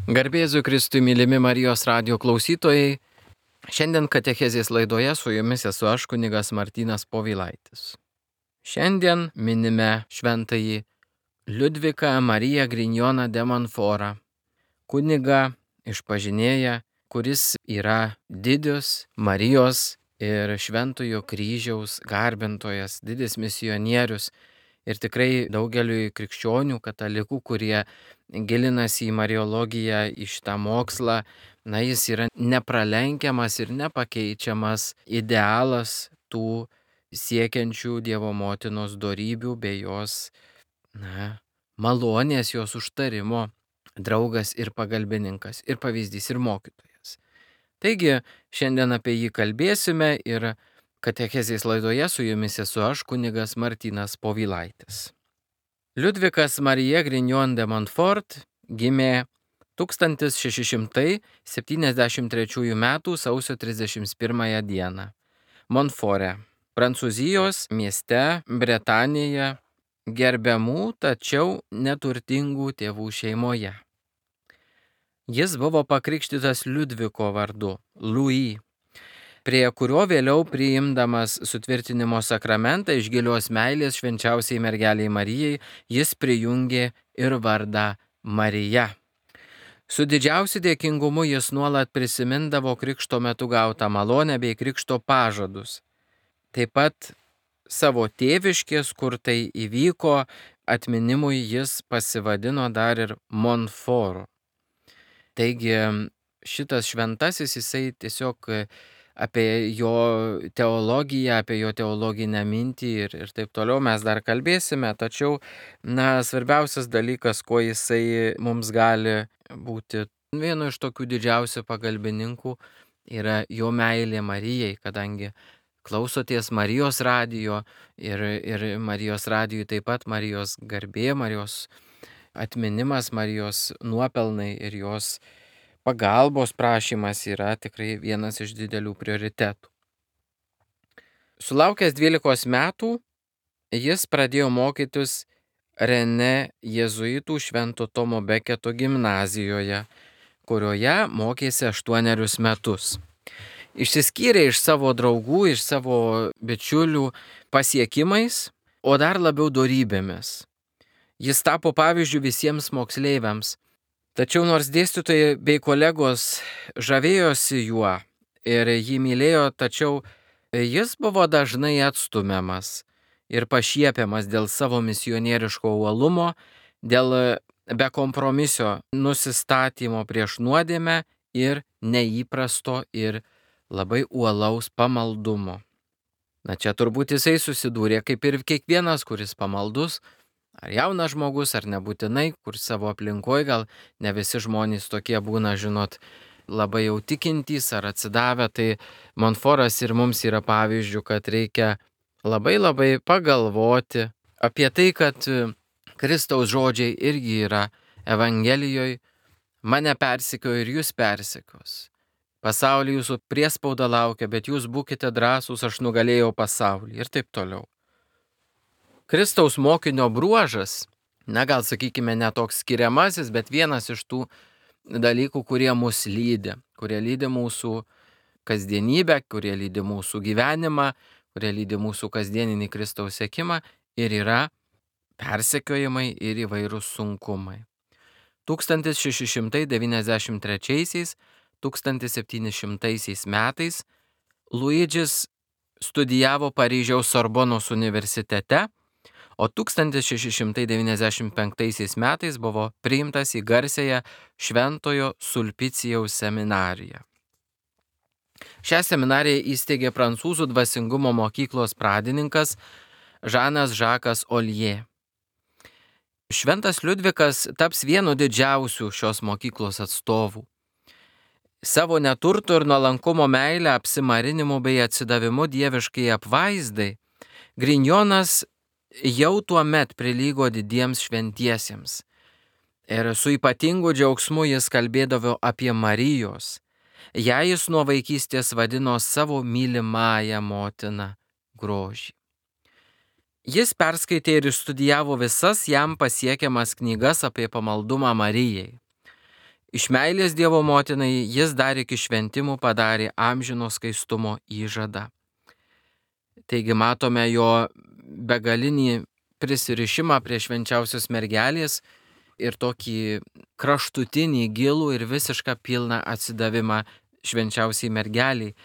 Garbėsiu Kristui, mylimi Marijos radijo klausytojai. Šiandien katechezės laidoje su jumis esu aš, kunigas Martynas Povilaitis. Šiandien minime šventąjį Liudviką Mariją Grignoną de Montfortą, kunigą išpažinėją, kuris yra didis Marijos ir Šventojo kryžiaus garbintojas, didis misionierius. Ir tikrai daugeliui krikščionių, katalikų, kurie gilinasi į mariologiją, į šitą mokslą, jis yra nepralenkiamas ir nepakeičiamas idealas tų siekiančių Dievo motinos dorybių bei jos, malonės, jos užtarimo draugas ir pagalbininkas, ir pavyzdys, ir mokytojas. Taigi, šiandien apie jį kalbėsime ir katechezės laidoje su jumis esu aš, kunigas Martynas Povilaitis. Liudvikas Marija Grignon de Montfort gimė 1673 m. sausio 31 d. Montforte, Prancūzijos mieste Bretanėje, gerbiamų, tačiau neturtingų tėvų šeimoje. Jis buvo pakrikštytas Liudviko vardu, Louis, prie kurio vėliau priimdamas sutvirtinimo sakramentą iš gilios meilės švenčiausiai mergeliai Marijai, jis prijungė ir vardą Marija. Su didžiausiu dėkingumu jis nuolat prisimindavo krikšto metu gautą malonę bei krikšto pažadus. Taip pat savo tėviškės, kur tai įvyko, atminimui jis pasivadino dar ir Montfortu. Taigi šitas šventasis, jisai tiesiog apie jo teologiją, apie jo teologinę mintį ir taip toliau mes dar kalbėsime, tačiau, svarbiausias dalykas, kuo jisai mums gali būti vienu iš tokių didžiausių pagalbininkų, yra jo meilė Marijai, kadangi klausoties Marijos radijo ir Marijos radijui taip pat Marijos garbė, Marijos atminimas, Marijos nuopelnai ir jos pagalbos prašymas yra tikrai vienas iš didelių prioritetų. Sulaukęs 12 metų, jis pradėjo mokytis Rene jėzuitų Švento Tomo Beketo gimnazijoje, kurioje mokėsi 8 metus. Išsiskyrė iš savo draugų, iš savo bičiulių pasiekimais, o dar labiau dorybėmis. Jis tapo pavyzdžiu visiems moksleiviams. Tačiau nors dėstytojai bei kolegos žavėjosi juo ir jį mylėjo, tačiau jis buvo dažnai atstumiamas ir pašiepiamas dėl savo misionieriško uolumo, dėl bekompromisio nusistatymo prieš nuodėmę ir neįprasto ir labai uolaus pamaldumo. Čia turbūt jisai susidūrė kaip ir kiekvienas, kuris pamaldus, ar jaunas žmogus, ar nebūtinai, kur savo aplinkoje gal ne visi žmonės tokie būna, labai jau tikintys ar atsidavę, tai Montfortas ir mums yra pavyzdžių, kad reikia labai pagalvoti apie tai, kad Kristaus žodžiai irgi yra Evangelijoje, mane persekiojo ir jūs persekios. Pasaulį jūsų priespauda laukia, bet jūs būkite drąsūs, aš nugalėjau pasaulį ir taip toliau. Kristaus mokinio bruožas, gal sakykime ne toks skiriamasis, bet vienas iš tų dalykų, kurie mus lydi, kurie lydi mūsų kasdienybę, kurie lydi mūsų gyvenimą, kurie lydi mūsų kasdieninį Kristaus sekimą ir yra persekiojimai ir įvairūs sunkumai. 1693–1700 metais Luidžis studijavo Paryžiaus Sorbonos universitete, o 1695 metais buvo priimtas į garsiąją Šventojo Sulpicijaus seminariją. Šią seminariją įsteigė prancūzų dvasingumo mokyklos pradininkas Žanas Žakas Oljė. Šventas Liudvikas taps vienu didžiausių šios mokyklos atstovų. Savo neturtų ir nuolankumo meilę, apsimarinimu bei atsidavimu dieviškai apvaizdai, Grignonas jau tuo met prilygo didiems šventiesiems. Ir su ypatingu džiaugsmu jis kalbėdavo apie Marijos. Ją jis nuo vaikystės vadino savo mylimąją motiną grožį. Jis perskaitė ir studijavo visas jam pasiekiamas knygas apie pamaldumą Marijai. Iš meilės Dievo motinai jis dar iki šventimų padarė amžino skaistumo įžadą. Taigi matome jo begalinį prisirišimą prie švenčiausios mergelės ir tokį kraštutinį, gilų ir visišką pilną atsidavimą švenčiausiai mergeliai.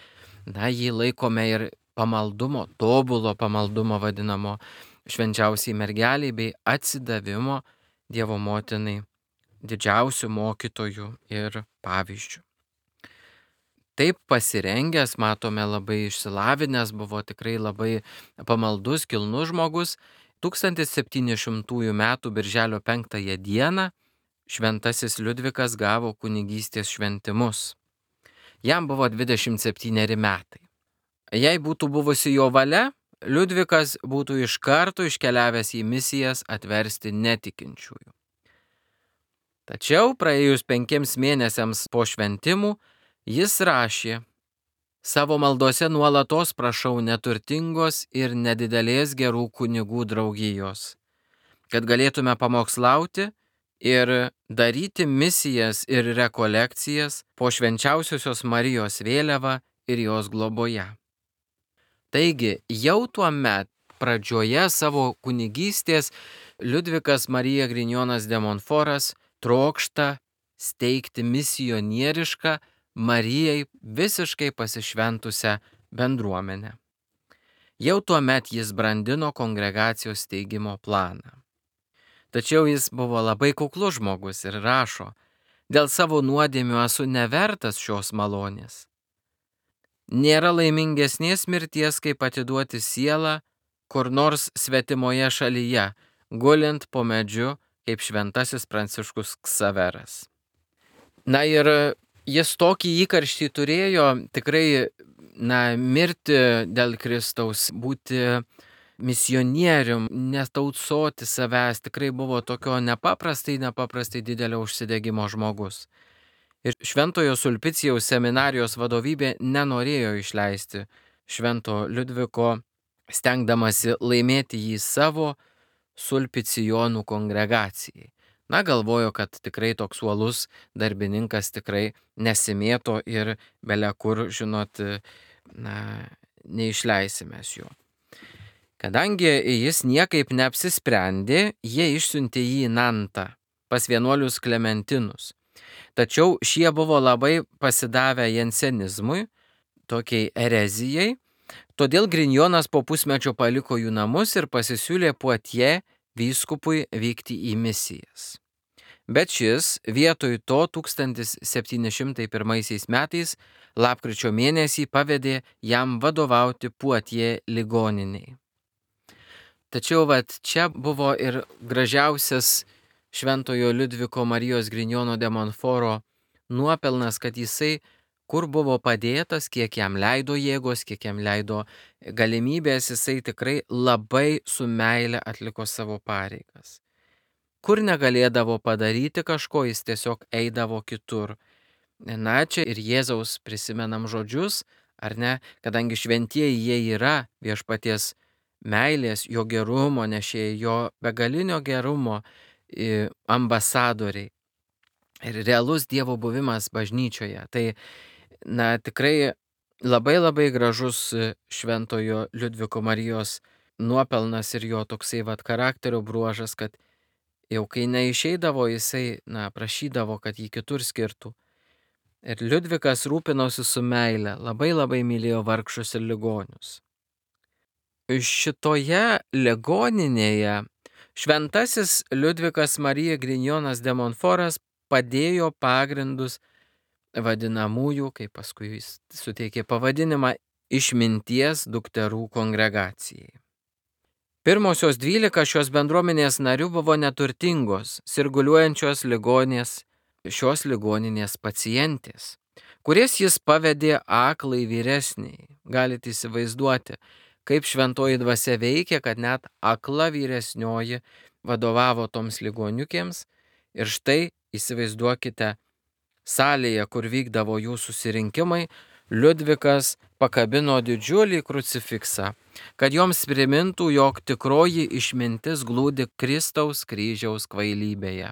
Na, jį laikome ir pamaldumo, tobulo pamaldumo vadinamo švenčiausiai mergeliai bei atsidavimo Dievo motinai didžiausių mokytojų ir pavyzdžių. Taip pasirengęs, matome, labai išsilavinęs, buvo tikrai labai pamaldus, kilnus žmogus. 1700 metų birželio 5 dieną šventasis Liudvikas gavo kunigystės šventimus. Jam buvo 27 metai. Jei būtų buvusi jo valia, Liudvikas būtų iš karto iškeliavęs į misijas atversti netikinčiųjų. Tačiau praėjus 5 mėnesiams po šventimų jis rašė: savo maldose nuolatos prašau neturtingos ir nedidelės gerų kunigų draugijos, kad galėtume pamokslauti ir daryti misijas ir rekolekcijas po švenčiausiosios Marijos vėliava ir jos globoje. Taigi jau tuomet pradžioje savo kunigystės Liudvikas Marija Grignonas de Montforas trokšta steigti misionierišką, Marijai visiškai pasišventusią bendruomenę. Jau tuomet jis brandino kongregacijos steigimo planą. Tačiau jis buvo labai kuklus žmogus ir rašo: dėl savo nuodėmių esu nevertas šios malonės. Nėra laimingesnės mirties, kaip atiduoti sielą kur nors svetimoje šalyje, gulint po medžiu, kaip šventasis Pranciškus Ksaveras. Na ir jis tokį įkarštį turėjo tikrai, mirti dėl Kristaus, būti misionierium, netautsoti savęs, tikrai buvo tokio nepaprastai didelio užsidegimo žmogus. Ir Šventojo Sulpicijaus seminarijos vadovybė nenorėjo išleisti Švento Liudviko, stengdamasi laimėti jį savo sulpicijonų kongregacijai. Galvojo, kad tikrai toks uolus darbininkas tikrai nesimėto ir bele kur, neišleisime jo. Kadangi jis niekaip neapsisprendė, jie išsiuntė jį į Nantą pas vienuolius Klementinus. Tačiau šie buvo labai pasidavę jansenizmui, tokiai erezijai, todėl Grignonas po pusmečio paliko jų namus ir pasisiūlė Poitiers vyskupui vykti į misijas. Bet šis vietoj to 1701 metais lapkričio mėnesį pavedė jam vadovauti Poitiers ligoniniai. Tačiau čia buvo ir gražiausias Šventojo Liudviko Marijos Grignono de Montforo nuopelnas, kad jisai, kur buvo padėtas, kiek jam leido jėgos, kiek jam leido galimybės, jisai tikrai labai su meile atliko savo pareigas. Kur negalėdavo padaryti kažko, jis tiesiog eidavo kitur. Čia ir Jėzaus prisimenam žodžius, ar ne, kadangi šventieji jie yra viešpaties meilės, jo gerumo nešėjai, jo begalinio gerumo ambasadoriai ir realus Dievo buvimas bažnyčioje. Tai tikrai labai gražus Šventojo Liudviko Marijos nuopelnas ir jo toksai charakterio bruožas, kad jau kai neišeidavo, jisai prašydavo, kad jį kitur skirtų. Ir Liudvikas rūpinosi su meile, labai mylėjo vargšus ir ligonius. Šitoje ligoninėje šventasis Liudvikas Marija Grignonas de Montforas padėjo pagrindus vadinamųjų, kaip paskui jis suteikė pavadinimą, išminties dukterų kongregacijai. Pirmosios 12 šios bendruomenės narių buvo neturtingos, sirguliuojančios ligonės, šios ligoninės pacientės, kurias jis pavedė aklai vyresniai. Galite įsivaizduoti, kaip šventoji dvasia veikia, kad net akla vyresnioji vadovavo toms ligoniukėms. Ir štai įsivaizduokite, salėje, kur vykdavo jų susirinkimai, Liudvikas pakabino didžiulį krucifiksą, kad joms primintų, jog tikroji išmintis glūdi Kristaus kryžiaus kvailybėje.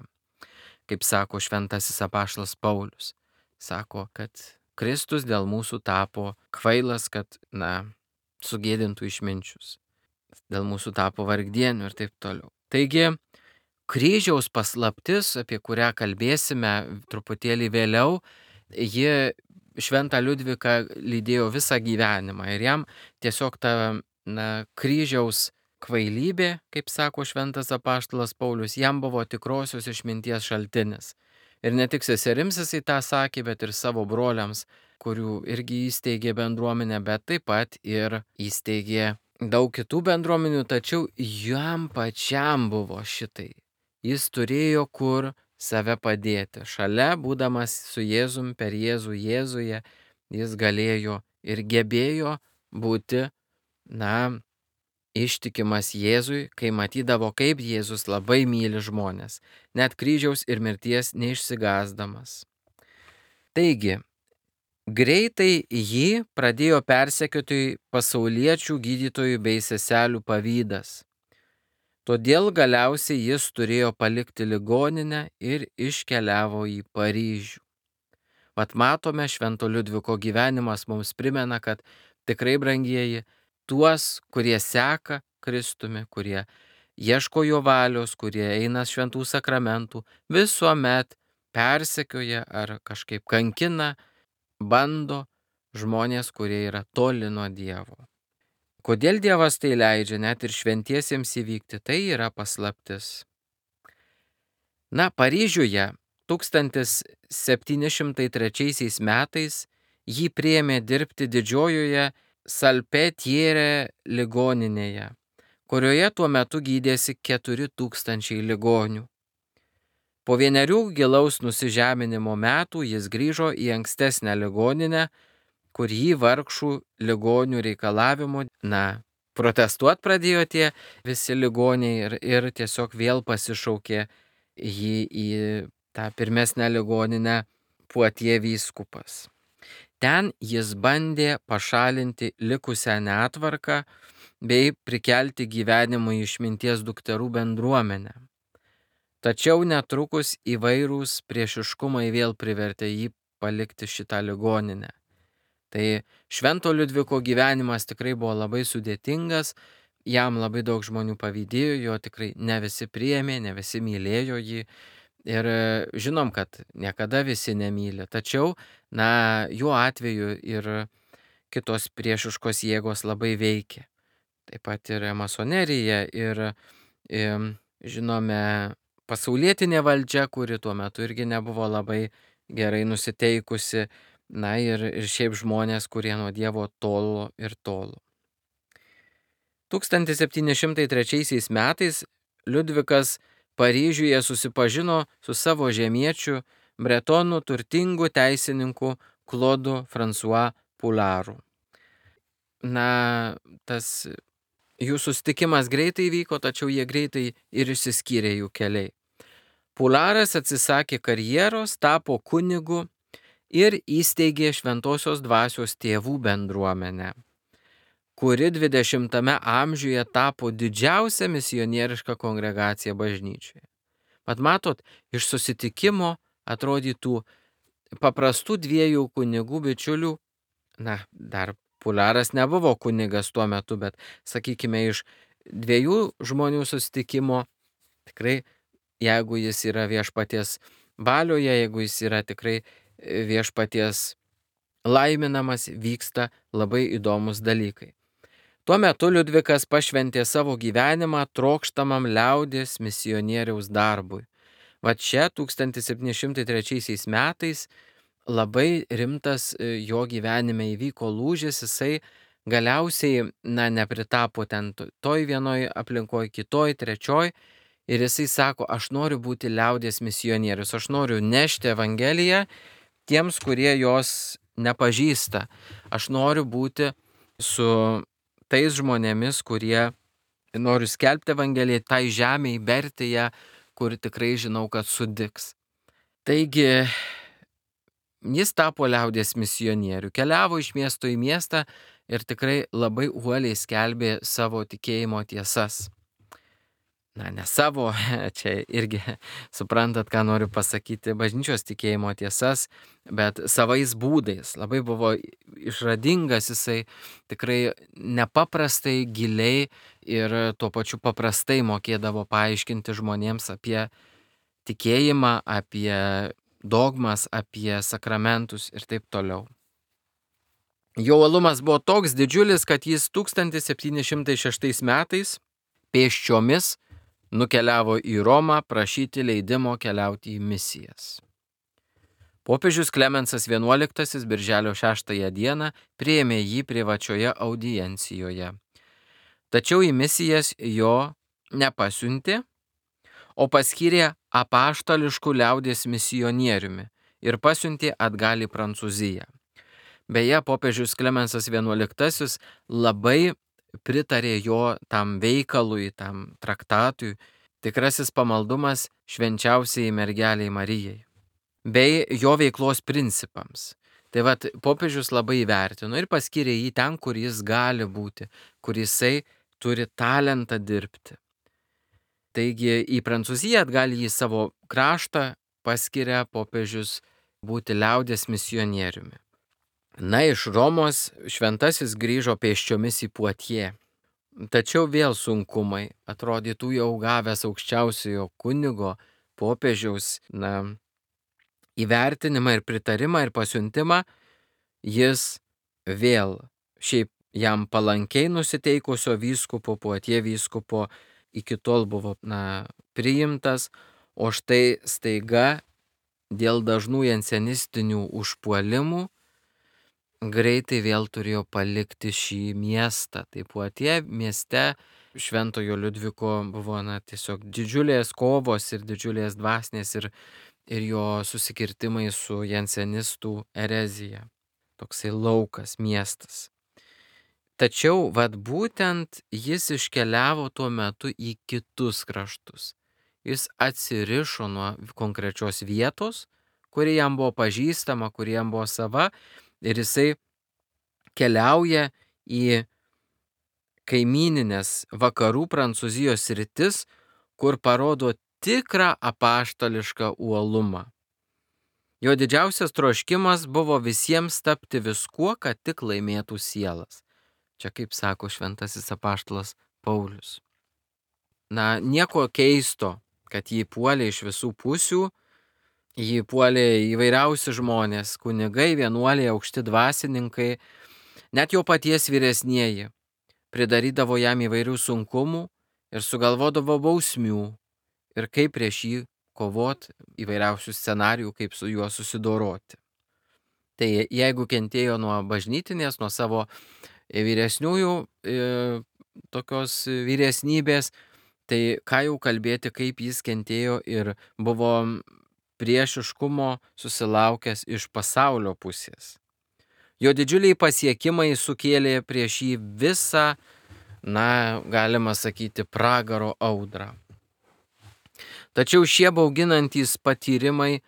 kaip sako šventasis apaštalas Paulius. Sako, kad Kristus dėl mūsų tapo kvailas, kad, sugėdintų išminčius. Dėl mūsų tapo vargdienių ir taip toliau. Taigi, kryžiaus paslaptis, apie kurią kalbėsime truputėlį vėliau, ji šventą Liudviką lydėjo visą gyvenimą ir jam tiesiog ta kryžiaus kvailybė, kaip sako šventas apaštalas Paulius, jam buvo tikrosios išminties šaltinis. Ir ne tik seserims jisai tą sakė, bet ir savo broliams, kurių irgi įsteigė bendruomenę, bet taip pat ir įsteigė daug kitų bendruomenių, tačiau jam pačiam buvo šitai. Jis turėjo kur save padėti. Šalia, būdamas su Jėzum, per Jėzų Jėzuje, jis galėjo ir gebėjo būti, ištikimas Jėzui, kai matydavo, kaip Jėzus labai myli žmonės, net kryžiaus ir mirties neišsigąsdamas. Taigi, greitai jį pradėjo persekioti pasauliečių gydytojų bei seselių pavydas. Todėl galiausiai jis turėjo palikti ligoninę ir iškeliavo į Paryžių. Vat matome, Švento Liudviko gyvenimas mums primena, kad tikrai, brangieji, tuos, kurie seka Kristumi, kurie ieško jo valios, kurie eina šventų sakramentų, visuomet persekioja ar kažkaip kankina, bando žmonės, kurie yra toli nuo Dievo. Kodėl Dievas tai leidžia net ir šventiesiems įvykti, tai yra paslaptis. Paryžiuje 1703 metais jį priėmė dirbti didžiojoje Salpetiere ligoninėje, kurioje tuo metu gydėsi 4000 ligonių. Po 1 gilaus nusižeminimo metų jis grįžo į ankstesnę ligoninę, kur jį vargšų ligonių reikalavimu, protestuot pradėjo tie visi ligoniai ir tiesiog vėl pasišaukė jį į tą pirmesnę ligoninę Puatie vyskupas. Ten jis bandė pašalinti likusią netvarką bei prikelti gyvenimui išminties dukterų bendruomenę. Tačiau netrukus įvairūs priešiškumai vėl privertė jį palikti šitą ligoninę. Tai Švento Liudviko gyvenimas tikrai buvo labai sudėtingas, jam labai daug žmonių pavydėjo, jo tikrai ne visi priėmė, ne visi mylėjo jį. Ir žinom, kad niekada visi nemyli, tačiau, jo atveju ir kitos priešiškos jėgos labai veikia. Taip pat ir masonerija ir, žinome, pasaulietinė valdžia, kuri tuo metu irgi nebuvo labai gerai nusiteikusi, ir šiaip žmonės, kurie nuo Dievo tolo ir tolo. 1703 metais Liudvikas Paryžiuje susipažino su savo žemiečiu, bretonų turtingu teisininku Klodu François Poularu. Tas jų susitikimas greitai vyko, tačiau jie greitai ir išsiskyrė jų keliai. Poularas atsisakė karjeros, tapo kunigu ir įsteigė Šventosios Dvasios tėvų bendruomenę, kuri 20 amžiuje tapo didžiausia misionieriška kongregacija bažnyčioje. Mat matot, iš susitikimo atrodytų paprastų 2 kunigų bičiulių, dar Poularas nebuvo kunigas tuo metu, bet sakykime, iš 2 žmonių susitikimo, tikrai, jeigu jis yra viešpaties valioje, jeigu jis yra tikrai viešpaties laiminamas, vyksta labai įdomus dalykai. Tuo metu Liudvikas pašventė savo gyvenimą trokštamam liaudies misionieriaus darbui. Va čia 1703 metais labai rimtas jo gyvenime įvyko lūžis, jisai galiausiai nepritapo ten toj vienoj aplinkoje, kitoj, trečioj ir jisai sako, aš noriu būti liaudies misionierius, aš noriu nešti evangeliją tiems, kurie jos nepažįsta. Aš noriu būti su tais žmonėmis, kurie noriu skelbti evangeliją, tai žemei, berti ją, kur tikrai žinau, kad sudigs. Taigi, jis tapo liaudies misionierių, keliavo iš miesto į miestą ir tikrai labai uoliai skelbė savo tikėjimo tiesas. ne savo, čia irgi suprantat, ką noriu pasakyti, bažnyčios tikėjimo tiesas, bet savais būdais. Labai buvo išradingas jisai, tikrai nepaprastai giliai ir tuo pačiu paprastai mokėdavo paaiškinti žmonėms apie tikėjimą, apie dogmas, apie sakramentus ir taip toliau. Jo uolumas buvo toks didžiulis, kad jis 1706 metais pėsčiomis nukeliavo į Romą prašyti leidimo keliauti į misijas. Popiežius Klemensas XI birželio 6 dieną priėmė jį privačioje audiencijoje. Tačiau į misijas jo nepasiuntė, o paskyrė apaštališkų liaudies misionieriumi ir pasiuntė atgal į Prancūziją. Beje, popiežius Klemensas XI labai pritarė jo tam veikalui, tam traktatui, tikrasis pamaldumas švenčiausiai mergeliai Marijai, bei jo veiklos principams. Tai vat, popiežius labai įvertino ir paskyrė jį ten, kur jis gali būti, kur jisai turi talentą dirbti. Taigi į Prancūziją atgal į savo kraštą paskiria popiežius būti liaudies misionieriumi. Na, iš Romos šventasis grįžo pėsčiomis į Poitiers. Tačiau vėl sunkumai, atrodytų jau gavęs aukščiausiojo kunigo, popiežiaus, įvertinimą ir pritarimą ir pasiuntimą, jis vėl šiaip jam palankiai nusiteikusio vyskupo, Poitiers vyskupo, iki tol buvo priimtas, o štai staiga dėl dažnų jansenistinių užpuolimų greitai vėl turėjo palikti šį miestą. Tai Poitiers mieste Šventojo Liudviko buvo tiesiog didžiulės kovos ir didžiulės dvasinės ir jo susikirtimai su jansenistų erezija. Toksai laukas, miestas. Tačiau būtent jis iškeliavo tuo metu į kitus kraštus. Jis atsirišo nuo konkrečios vietos, kuri jam buvo pažįstama, kuri jam buvo sava, ir jisai keliauja į kaimyninės vakarų Prancūzijos sritis, kur parodo tikrą apaštališką uolumą. Jo didžiausias troškimas buvo visiems tapti viskuo, kad tik laimėtų sielas. Čia kaip sako šventasis apaštalas Paulius. Nieko keisto, kad jį puolė iš visų pusių, jį puolė įvairiausi žmonės, kunigai, vienuoliai, aukšti dvasininkai, net jo paties vyresnieji pridarydavo jam įvairių sunkumų ir sugalvodavo bausmių ir kaip prieš jį kovoti, įvairiausių scenarijų, kaip su juo susidoroti. Tai jeigu kentėjo nuo bažnytinės, nuo savo vyresniųjų tokios vyresnybės, tai ką jau kalbėti, kaip jis kentėjo ir buvo priešiškumo susilaukęs iš pasaulio pusės. Jo didžiuliai pasiekimai sukėlė prieš jį visą, galima sakyti, pragaro audrą. Tačiau šie bauginantys patyrimai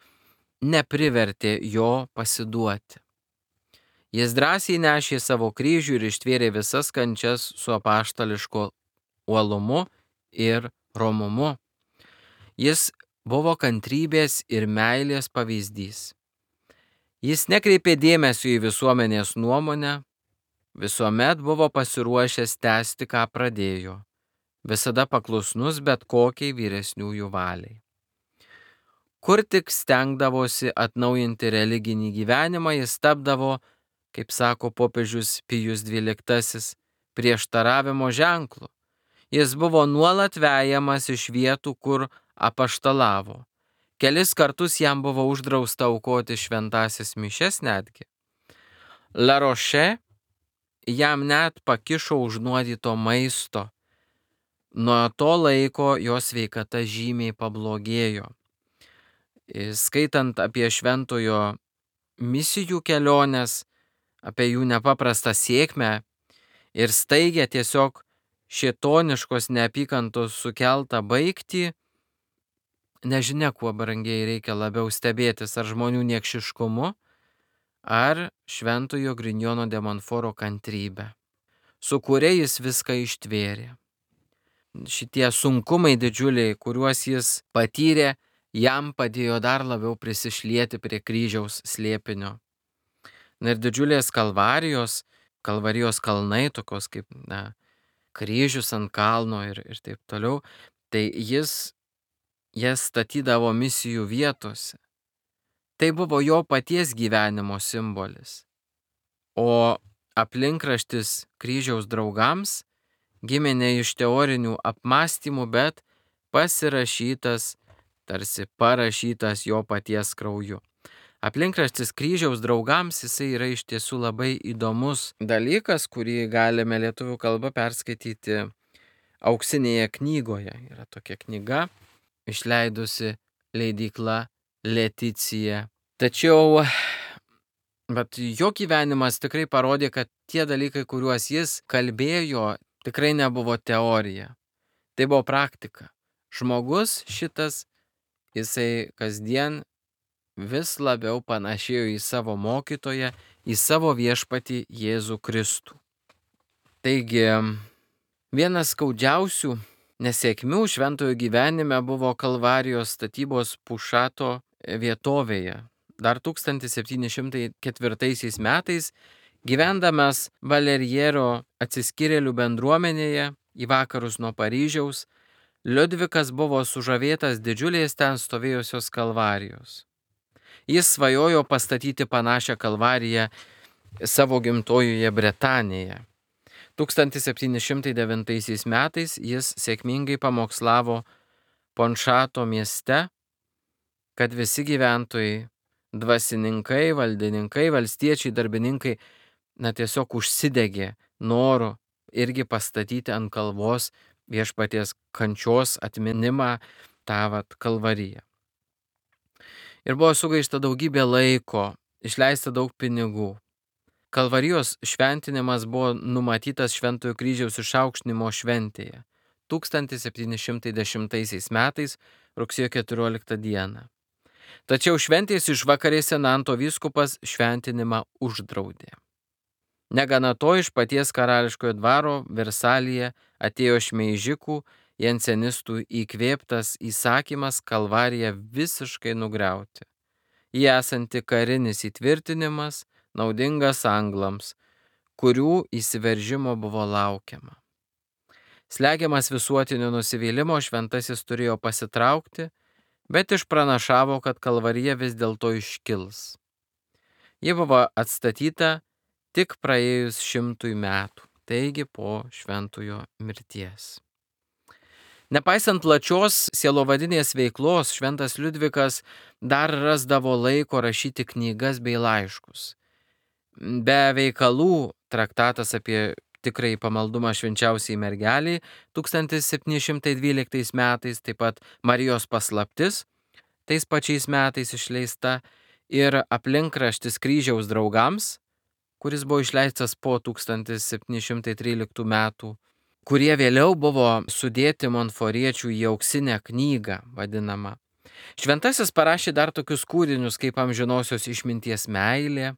neprivertė jo pasiduoti. Jis drąsiai nešė savo kryžių ir ištvėrė visas kančias su apaštališku uolumu ir romumu. Jis buvo kantrybės ir meilės pavyzdys. Jis nekreipė dėmesio į visuomenės nuomonę, visuomet buvo pasiruošęs tęsti, ką pradėjo, visada paklusnus bet kokiai vyresniųjų valiai. Kur tik stengdavosi atnaujinti religinį gyvenimą, jis tapdavo, kaip sako popiežius Pijus XII, prieštaravimo ženklu. Jis buvo nuolat vejamas iš vietų, kur apaštalavo. Kelis kartus jam buvo uždrausta aukoti šventąsias mišias netgi. La Roche jam net pakišo užnuodyto maisto. Nuo to laiko jo sveikata žymiai pablogėjo. Skaitant apie šventojo misijų keliones, apie jų nepaprastą sėkmę ir staigę tiesiog šėtoniškos neapykantos sukeltą baigtį, nežinia, kuo brangiai reikia labiau stebėtis, ar žmonių niekšiškumu, ar šventojo Grignono de Montforo kantrybę, su kuria jis viską ištvėrė. šitie sunkumai didžiuliai, kuriuos jis patyrė, jam padėjo dar labiau prisišlieti prie kryžiaus slėpinio. Ir didžiulės kalvarijos kalnai, tokios kaip kryžius ant kalno ir taip toliau, tai jis jas statydavo misijų vietose. Tai buvo jo paties gyvenimo simbolis. O aplinkraštis kryžiaus draugams gimė ne iš teorinių apmąstymų, bet pasirašytas, tarsi parašytas jo paties krauju. Aplinkraštis kryžiaus draugams jisai yra iš tiesų labai įdomus dalykas, kurį galime lietuvių kalba perskaityti Auksinėje knygoje. Yra tokia knyga, išleidusi leidykla Leticija. Tačiau bet jo gyvenimas tikrai parodė, kad tie dalykai, kuriuos jis kalbėjo, tikrai nebuvo teorija. Tai buvo praktika. Žmogus šitas, jisai kasdien vis labiau panašėjo į savo mokytoją, į savo viešpatį Jėzų Kristų. Taigi, vienas skaudžiausių nesėkmių šventojo gyvenime buvo Kalvarijos statybos Pušato vietovėje. Dar 1704 metais, gyvendamas Valeriero atsiskyrėlių bendruomenėje į vakarus nuo Paryžiaus, Liudvikas buvo sužavėtas didžiulės ten stovėjusios kalvarijos. Jis svajojo pastatyti panašią kalvariją savo gimtojoje Bretanėje. 1709 metais jis sėkmingai pamokslavo Ponšato mieste, kad visi gyventojai, dvasininkai, valdininkai, valstiečiai, darbininkai, tiesiog užsidegė noru irgi pastatyti ant kalvos viešpaties kančios atminimą tą kalvariją. Ir buvo sugaišta daugybė laiko, išleista daug pinigų. Kalvarijos šventinimas buvo numatytas Šventojo kryžiaus išaukštinimo šventėje 1710 metais rugsėjo 14 dieną. Tačiau šventės išvakarėse Nanto vyskupas šventinimą uždraudė. Negana to, iš paties karališkojo dvaro Versalyje atėjo šmeižikų, jansenistų įkvėptas įsakymas kalvariją visiškai nugriauti. Jį esanti karinis įtvirtinimas, naudingas anglams, kurių įsiveržimo buvo laukiama. Slegiamas visuotinio nusivylimo, šventasis turėjo pasitraukti, bet išpranašavo, kad kalvarija vis dėlto iškils. Ji buvo atstatyta tik praėjus 100 metų, taigi po šventojo mirties. Nepaisant plačios sielovadinės veiklos, šventas Liudvikas dar rasdavo laiko rašyti knygas bei laiškus. Be veikalų traktatas apie tikrąjį pamaldumą švenčiausiai mergeliai 1712 metais, taip pat Marijos paslaptis tais pačiais metais išleista ir aplinkraštis kryžiaus draugams, kuris buvo išleistas po 1713 metų, kurie vėliau buvo sudėti monforiečių į auksinę knygą vadinamą. Šventasis parašė dar tokius kūrinius kaip Amžinosios išminties meilė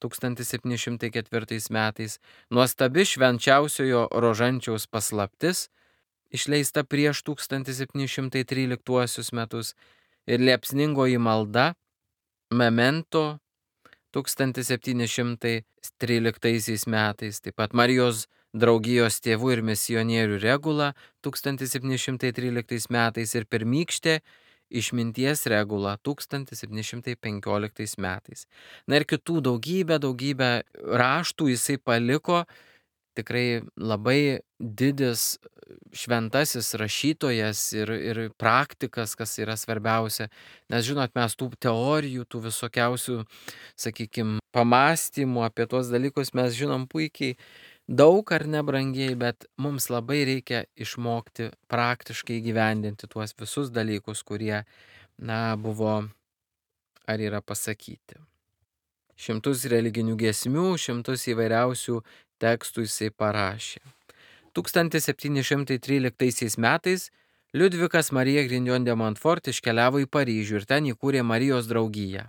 1704 metais, nuostabi švenčiausiojo Rožančiaus paslaptis, išleista prieš 1713 metus, ir liepsningoji malda Memento 1713 metais, taip pat Marijos draugijos tėvų ir misionierių regula 1713 metais ir pirmykštė išminties regula 1715 metais. Ir kitų daugybę raštų jisai paliko, tikrai labai didis šventasis rašytojas ir praktikas, kas yra svarbiausia. Nes žinot, mes tų teorijų, tų visokiausių, sakykime, pamastymų apie tuos dalykus mes žinom puikiai daug ar nebrangiai, bet mums labai reikia išmokti praktiškai gyvendinti tuos visus dalykus, kurie, buvo ar yra pasakyti. Šimtus religinių giesmių, šimtus įvairiausių tekstų jisai parašė. 1713 metais Liudvikas Marija Grignon de Montfort iškeliavo į Paryžių ir ten įkūrė Marijos draugiją.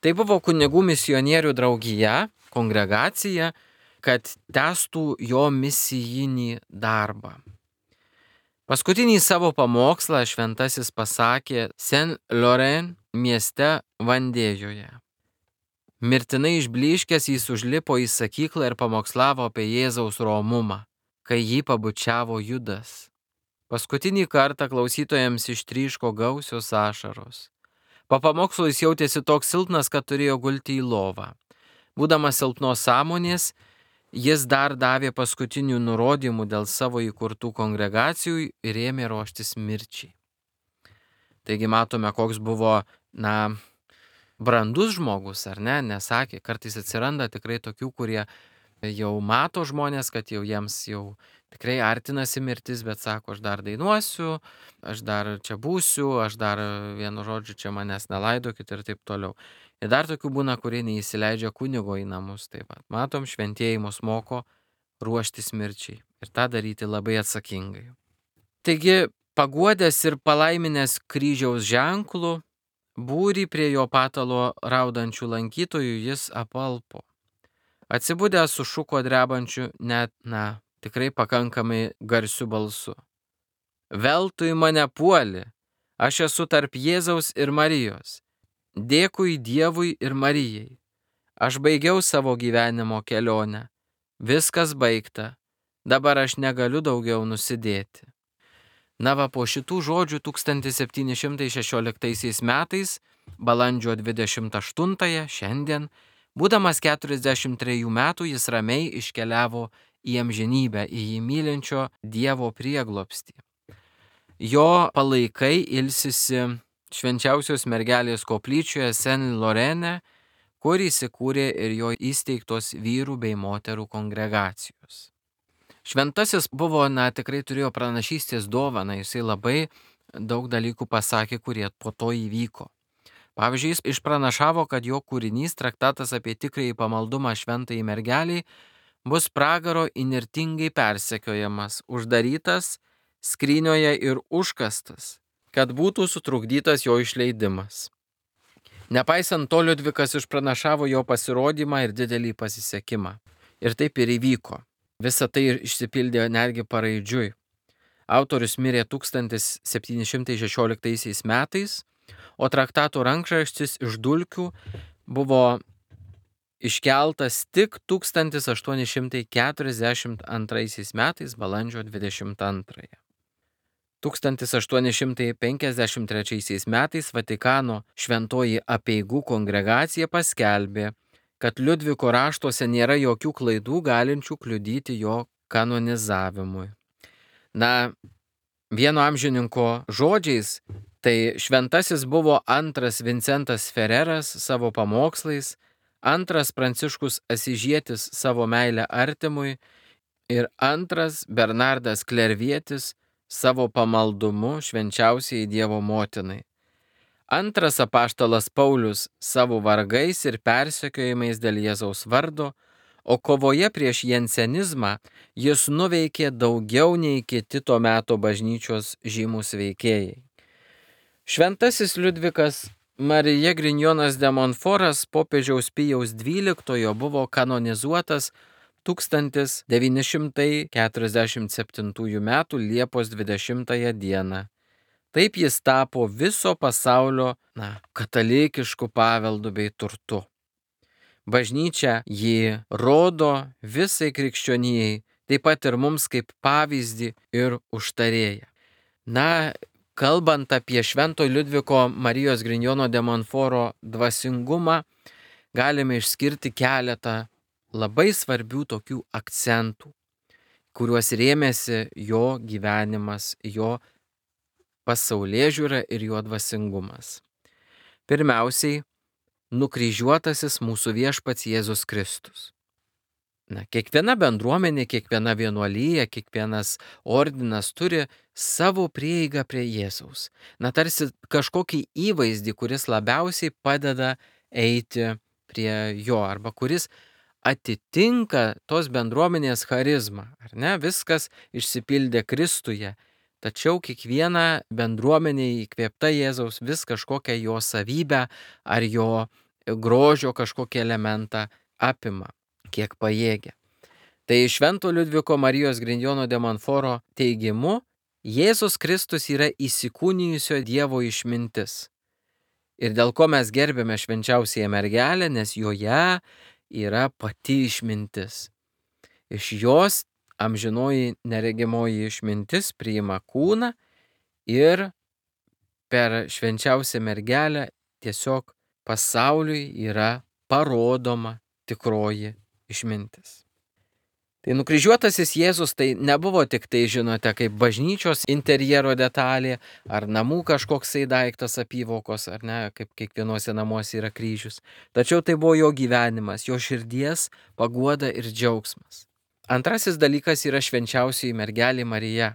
Tai buvo kunigų misionierių draugija, kongregacija, kad tęstų jo misijinį darbą. Paskutinį savo pamokslą šventasis pasakė Saint-Laurent mieste Vandėjoje. Mirtinai išblyškęs jis užlipo į sakyklą ir pamokslavo apie Jėzaus romumą, kai jį pabučiavo Judas. Paskutinį kartą klausytojams ištryško gausios ašaros. Po pamokslo jis jautėsi toks silpnas, kad turėjo gulti į lovą. Būdamas silpnos sąmonės, jis dar davė paskutinių nurodymų dėl savo įkurtų kongregacijų ir ėmė ruoštis mirčiai. Taigi matome, koks buvo, brandus žmogus, ar ne? Nesakė, kartais atsiranda tikrai tokių, kurie jau mato žmonės, kad jau jiems jau tikrai artinasi mirtis, bet sako, aš dar dainuosiu, aš dar čia būsiu, aš dar vienu žodžiu čia manęs nelaidokit ir taip toliau. Ir dar tokių būna, kurie neįsileidžia kunigo į namus. Taip pat matom, šventieji mus moko ruoštis mirčiai ir tą daryti labai atsakingai. Taigi, paguodęs ir palaiminęs kryžiaus ženklų, būrį prie jo patalo raudančių lankytojų jis apalpo. Atsibudęs sušuko drebančiu net, tikrai pakankamai garsiu balsu. Veltui mane puoli, aš esu tarp Jėzaus ir Marijos. Dėkui Dievui ir Marijai. Aš baigiau savo gyvenimo kelionę. Viskas baigta. Dabar aš negaliu daugiau nusidėti. Po šitų žodžių 1716 metais, balandžio 28-ąją, šiandien, būdamas 43 metų, jis ramiai iškeliavo į amžinybę, į jį mylinčio Dievo prieglobstį. Jo palaikai ilsisi Švenčiausios mergelės koplyčioje Saint-Laurene, kur įsikūrė ir jo įsteigtos vyrų bei moterų kongregacijos. Šventasis buvo, tikrai turėjo pranašystės dovaną, jisai labai daug dalykų pasakė, kurie po to įvyko. Pavyzdžiui, jis išpranašavo, kad jo kūrinys, traktatas apie tikrąjį pamaldumą šventai mergeliai, bus pragaro įnirtingai persekiojamas, uždarytas skrynioje ir užkastas, kad būtų sutrukdytas jo išleidimas. Nepaisant to, Liudvikas išpranašavo jo pasirodymą ir didelį pasisekimą. Ir taip ir įvyko. Visa tai išsipildė netgi paraidžiui. Autorius mirė 1716 metais, o traktato rankraštis iš dulkių buvo iškeltas tik 1842 metais balandžio 22. 1853 metais Vatikano šventoji apeigų kongregacija paskelbė, kad Liudviko raštuose nėra jokių klaidų galinčių kliudyti jo kanonizavimui. Vieno amžininko žodžiais, tai šventasis buvo antras Vincentas Ferreras savo pamokslais, antras Pranciškus Asižietis savo meilę artimui ir antras Bernardas Klervietis savo pamaldumu švenčiausiai Dievo motinai. Antras apaštalas Paulius savo vargais ir persekiojimais dėl Jėzaus vardo, o kovoje prieš jensenizmą jis nuveikė daugiau nei kiti to meto bažnyčios žymus veikėjai. Šventasis Liudvikas Marija Grignonas de Montforas popiežiaus Pijaus XII buvo kanonizuotas 1947 m. Liepos 20 d. Taip jis tapo viso pasaulio katalikišku paveldu bei turtu. Bažnyčia jį rodo visai krikščionijai, taip pat ir mums kaip pavyzdį ir užtarėją. Kalbant apie Švento Liudviko Marijos Grignono de Montforo dvasingumą, galime išskirti keletą labai svarbių tokių akcentų, kuriuos rėmėsi jo gyvenimas, jo pasaulėžiūra ir jo dvasingumas. Pirmiausiai, nukryžiuotasis mūsų viešpats Jėzus Kristus. Kiekviena bendruomenė, kiekviena vienuolija, kiekvienas ordinas turi savo prieigą prie Jėzaus. Tarsi kažkokį įvaizdį, kuris labiausiai padeda eiti prie jo arba kuris atitinka tos bendruomenės charizmą. Ar ne? Viskas išsipildė Kristuje. Tačiau kiekviena bendruomenė įkvėpta Jėzaus vis kažkokią jo savybę ar jo grožio kažkokį elementą apima, kiek pajėgia. Tai Švento Liudviko Marijos Grignono de Montforo teigimu, Jėzus Kristus yra įsikūnijusio Dievo išmintis. Ir dėl ko mes gerbėme švenčiausiąją mergelę, nes joje yra pati išmintis. Iš jos amžinoji neregimoji išmintis priima kūną ir per švenčiausią mergelę tiesiog pasauliui yra parodoma tikroji išmintis. Tai nukryžiuotasis Jėzus tai nebuvo tik tai, žinote, kaip bažnyčios interjero detalė, ar namų kažkoksai daiktas apyvokos, ar ne, kaip kiekvienuose namuose yra kryžius. Tačiau tai buvo jo gyvenimas, jo širdies paguoda ir džiaugsmas. Antrasis dalykas yra švenčiausioji mergelė Marija.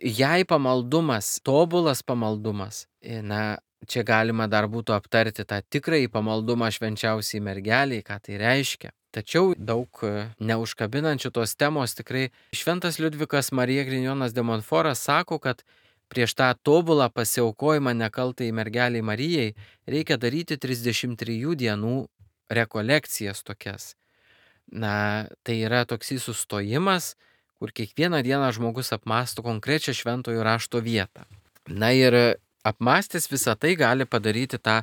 Jai pamaldumas, tobulas pamaldumas, čia galima dar būtų aptarti tą tikrąjį pamaldumą švenčiausiai mergeliai, ką tai reiškia. Tačiau daug neužkabinančių tos temos tikrai šventas Liudvikas Marija Grignonas de Montforas sako, kad prieš tą tobulą pasiaukojimą nekaltai mergeliai Marijai reikia daryti 33 dienų rekolekcijas tokias. Tai yra toksai sustojimas, kur kiekvieną dieną žmogus apmąsto konkrečią šventojo rašto vietą. Ir apmąstęs visą tai gali padaryti tą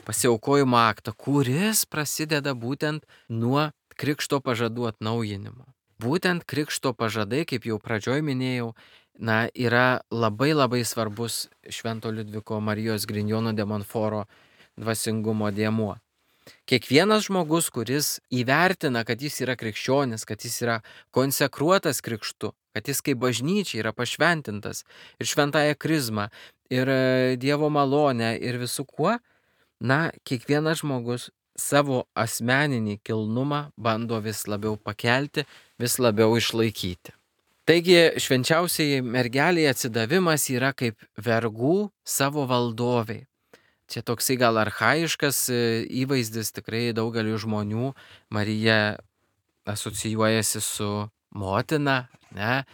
pasiaukojimo aktą, kuris prasideda būtent nuo krikšto pažadų atnaujinimo. Būtent krikšto pažadai, kaip jau pradžioj minėjau, yra labai labai svarbus švento Liudviko Marijos Grignono de Montforo dvasingumo dėmuo. Kiekvienas žmogus, kuris įvertina, kad jis yra krikščionis, kad jis yra konsekruotas krikštu, kad jis kaip bažnyčia yra pašventintas ir šventąją krizmą, ir Dievo malonę, ir visų kuo, kiekvienas žmogus savo asmeninį kilnumą bando vis labiau pakelti, vis labiau išlaikyti. Taigi švenčiausiai mergeliai atsidavimas yra kaip vergų savo valdoviai. Čia toksai gal archaiškas įvaizdis, tikrai daugeliu žmonių Marija asocijuojasi su motina, ne?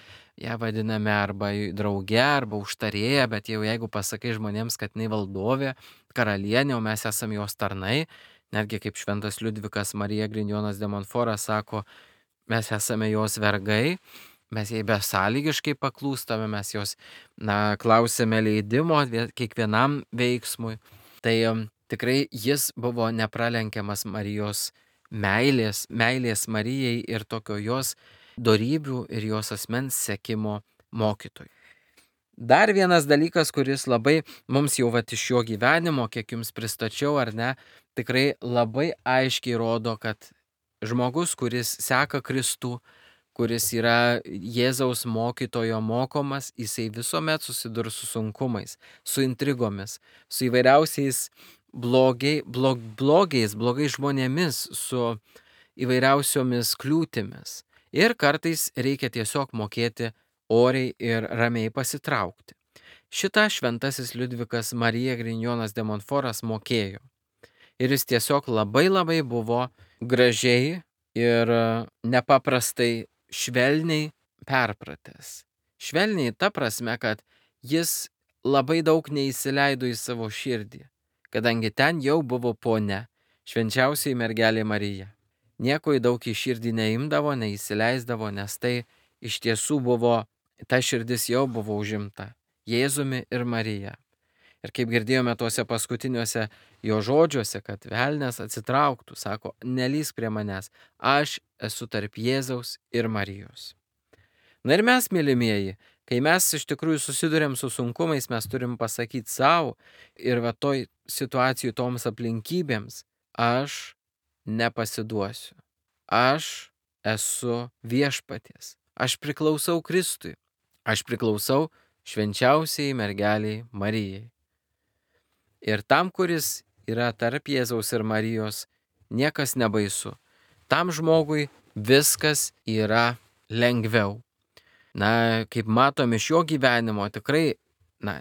Ją vadiname arba drauge, arba užtarėja, bet jau jeigu pasakai žmonėms, kad jinai valdovė, karalienė, o mes esame jos tarnai, netgi kaip šventas Liudvikas Marija Grignonas de Montforas sako, mes esame jos vergai, mes jai besąlygiškai paklūstame, mes jos, klausėme leidimo kiekvienam veiksmui. Tai tikrai jis buvo nepralenkiamas Marijos meilės Marijai ir tokio jos dorybių ir jos asmens sekimo mokytojų. Dar vienas dalykas, kuris labai mums jau iš jo gyvenimo, kiek jums pristačiau ar ne, tikrai labai aiškiai rodo, kad žmogus, kuris seka Kristų, kuris yra Jėzaus mokytojo mokomas, jisai visuomet susidurs su sunkumais, su intrigomis, su įvairiausiais blogais žmonėmis, su įvairiausiomis kliūtimis. Ir kartais reikia tiesiog mokėti oriai ir ramiai pasitraukti. Šitą šventasis Liudvikas Marija Grignonas de Montforas mokėjo. Ir jis tiesiog labai labai buvo gražiai ir nepaprastai švelniai perpratęs. Švelniai ta prasme, kad jis labai daug neįsileido į savo širdį, kadangi ten jau buvo ponia, švenčiausioji mergelė Marija. Nieko į daug į širdį neimdavo, neįsileisdavo, nes tai iš tiesų buvo, ta širdis jau buvo užimta Jėzumi ir Marija. Ir kaip girdėjome tuose paskutiniuose jo žodžiuose, kad velnias atsitrauktų, sako, nelįsk prie manęs, aš esu tarp Jėzaus ir Marijos. Ir mes, mylimieji, kai mes iš tikrųjų susidurėm su sunkumais, mes turim pasakyti savo ir toj situacijų toms aplinkybėms, aš nepasiduosiu. Aš esu viešpaties. Aš priklausau Kristui. Aš priklausau švenčiausiai mergeliai Marijai. Ir tam, kuris yra tarp Jėzaus ir Marijos, niekas nebaisu. Tam žmogui viskas yra lengviau. Kaip matom iš jo gyvenimo, tikrai,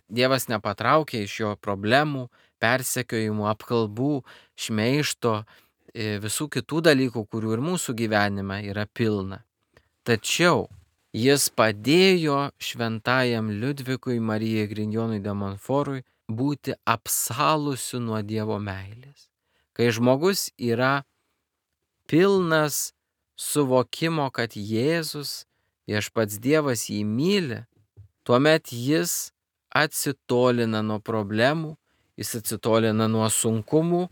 Dievas nepatraukė iš jo problemų, persekiojimų, apkalbų, šmeižto, visų kitų dalykų, kurių ir mūsų gyvenime yra pilna. Tačiau jis padėjo šventajam Liudvikui Marijai Grignonui de Montfortui būti apsalusiu nuo Dievo meilės. Kai žmogus yra pilnas suvokimo, kad Jėzus, viešpats Dievas jį myli, tuomet jis atsitolina nuo problemų, jis atsitolina nuo sunkumų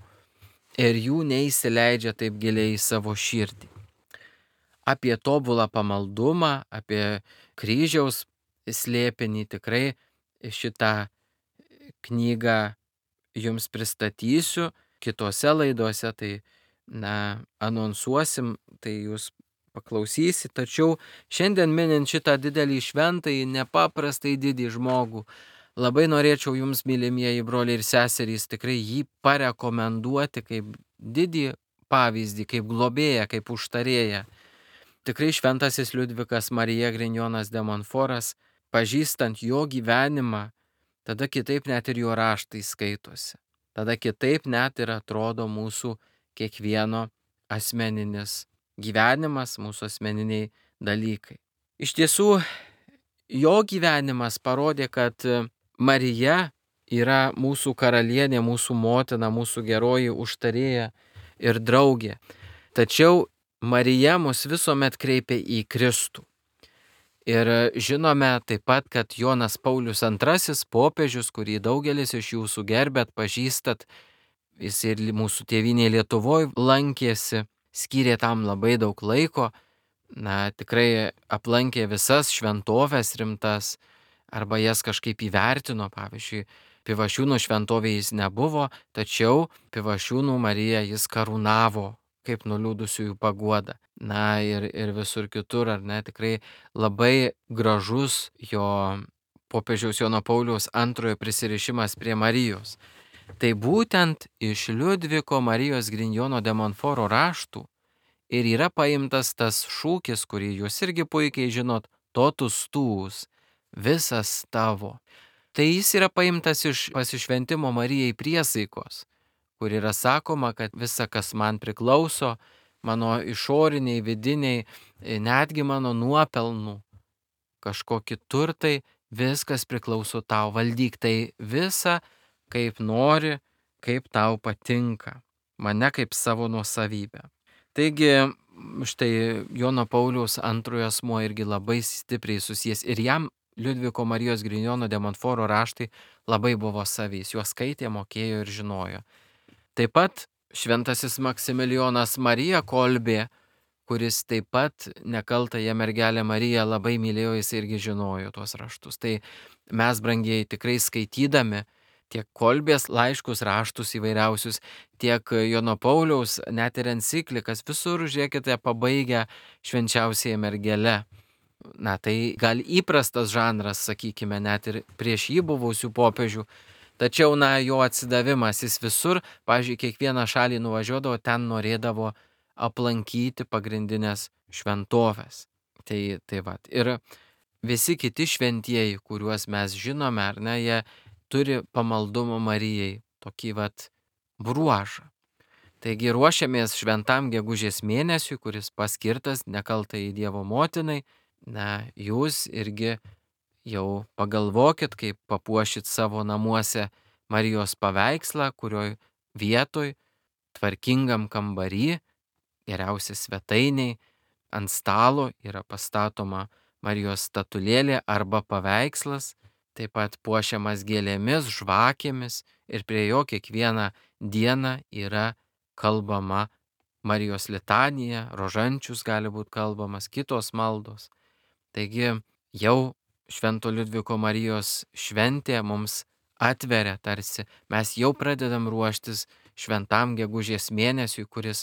ir jų neįsileidžia taip giliai į savo širdį. Apie tobulą pamaldumą, apie kryžiaus slėpinį tikrai šitą knygą jums pristatysiu kitose laidose, tai anonsuosim, tai jūs paklausysit. Tačiau šiandien minint šitą didelį šventąjį, nepaprastai didį žmogų, labai norėčiau jums, mylimieji broliai ir seserys, tikrai jį parekomenduoti kaip didį pavyzdį, kaip globėją, kaip užtarėją. Tikrai šventasis Liudvikas Marija Grignonas de Montforas, pažįstant jo gyvenimą, tada kitaip net ir jo raštai skaitosi. Tada kitaip net ir atrodo mūsų kiekvieno asmeninis gyvenimas, mūsų asmeniniai dalykai. Iš tiesų, jo gyvenimas parodė, kad Marija yra mūsų karalienė, mūsų motina, mūsų geroji užtarėja ir draugė. Tačiau Marija mus visuomet kreipia į Kristų. Ir žinome taip pat, kad Jonas Paulius II, popiežius, kurį daugelis iš jūsų gerbėt, pažįstat, jis ir mūsų tėvynėje Lietuvoje lankėsi, skyrė tam labai daug laiko, tikrai aplankė visas šventoves rimtas, arba jas kažkaip įvertino. Pavyzdžiui, Pivašiūnų šventovėje jis nebuvo, tačiau Pivašiūnų Mariją jis karūnavo kaip nuliūdusiųjų paguoda. Ir visur kitur, tikrai labai gražus jo popiežiaus Jono Pauliaus II prisirišimas prie Marijos. Tai būtent iš Liudviko Marijos Grignono de Montforo raštų ir yra paimtas tas šūkis, kurį jūs irgi puikiai žinot, totus tuus, visas tavo. Tai jis yra paimtas iš pasišventimo Marijai priesaikos, kur yra sakoma, kad visa, kas man priklauso, mano išoriniai, vidiniai, netgi mano nuopelnų, kažkokie turtai, viskas priklauso tau, valdyk tai visą, kaip nori, kaip tau patinka, mane kaip savo nuosavybę. Taigi, štai Jono Pauliaus II asmuo irgi labai stipriai susijęs ir jam Liudviko Marijos Grignono de Montforo raštai labai buvo savys, juos skaitė, mokėjo ir žinojo. Taip pat šventasis Maksimilijonas Marija Kolbė, kuris taip pat nekaltąją mergelę Mariją labai mylėjo, jis irgi žinojo tuos raštus. Tai mes, brangieji, tikrai skaitydami tiek Kolbės laiškus, raštus įvairiausius, tiek Jono Pauliaus, net ir enciklikas, visur, žiūrėkite, pabaigę švenčiausiąją mergelę. Tai gal įprastas žanras, sakykime, net ir prieš jį buvusių popiežių, tačiau, jo atsidavimas, jis visur, pavyzdžiui, kiekvieną šalį nuvažiuodavo, ten norėdavo aplankyti pagrindinės šventoves. Tai vat. Ir visi kiti šventieji, kuriuos mes žinome, jie turi pamaldumo Marijai, tokį bruožą. Taigi ruošiamės šventam gegužės mėnesiui, kuris paskirtas nekaltai Dievo motinai. Jūs irgi jau pagalvokit, kaip papuošit savo namuose Marijos paveikslą, kurioj vietoj, tvarkingam kambary, geriausia svetainiai, ant stalo yra pastatoma Marijos statulėlė arba paveikslas, taip pat puošiamas gėlėmis, žvakėmis ir prie jo kiekvieną dieną yra kalbama Marijos litanija, rožančius gali būti kalbamas, kitos maldos. Taigi jau Švento Liudviko Marijos šventė mums atveria tarsi, mes jau pradedam ruoštis šventam gegužės mėnesiui, kuris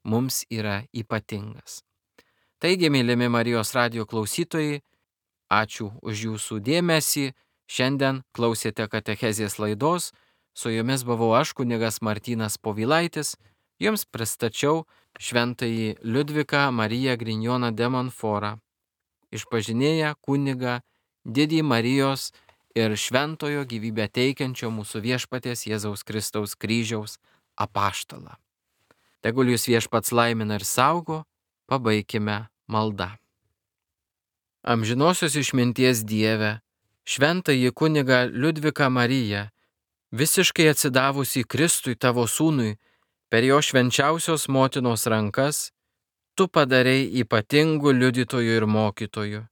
mums yra ypatingas. Taigi, mylimi Marijos radijo klausytojai, ačiū už jūsų dėmesį. Šiandien klausėte katechezės laidos, su jumis buvau aš, kunigas Martynas Povilaitis, jums pristačiau šventąjį Liudviką Mariją Grignoną de Montforą, išpažinėję kunigą, didį Marijos ir šventojo gyvybę teikiančio mūsų viešpaties Jėzaus Kristaus kryžiaus apaštalą. Tegul jūs viešpats laimina ir saugo, pabaikime maldą. Amžinosios išminties Dieve, šventąjį kunigą Liudviką Mariją, visiškai atsidavusi Kristui tavo sūnui, per jo švenčiausios motinos rankas, tu padarei ypatingų liudytojų ir mokytojų.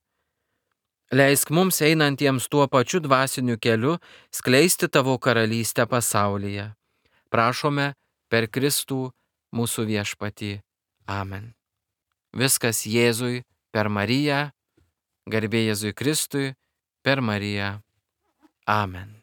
Leisk mums einantiems tuo pačiu dvasiniu keliu skleisti tavo karalystę pasaulyje. Prašome per Kristų mūsų viešpatį. Amen. Viskas Jėzui per Mariją, garbė Jėzui Kristui per Mariją. Amen.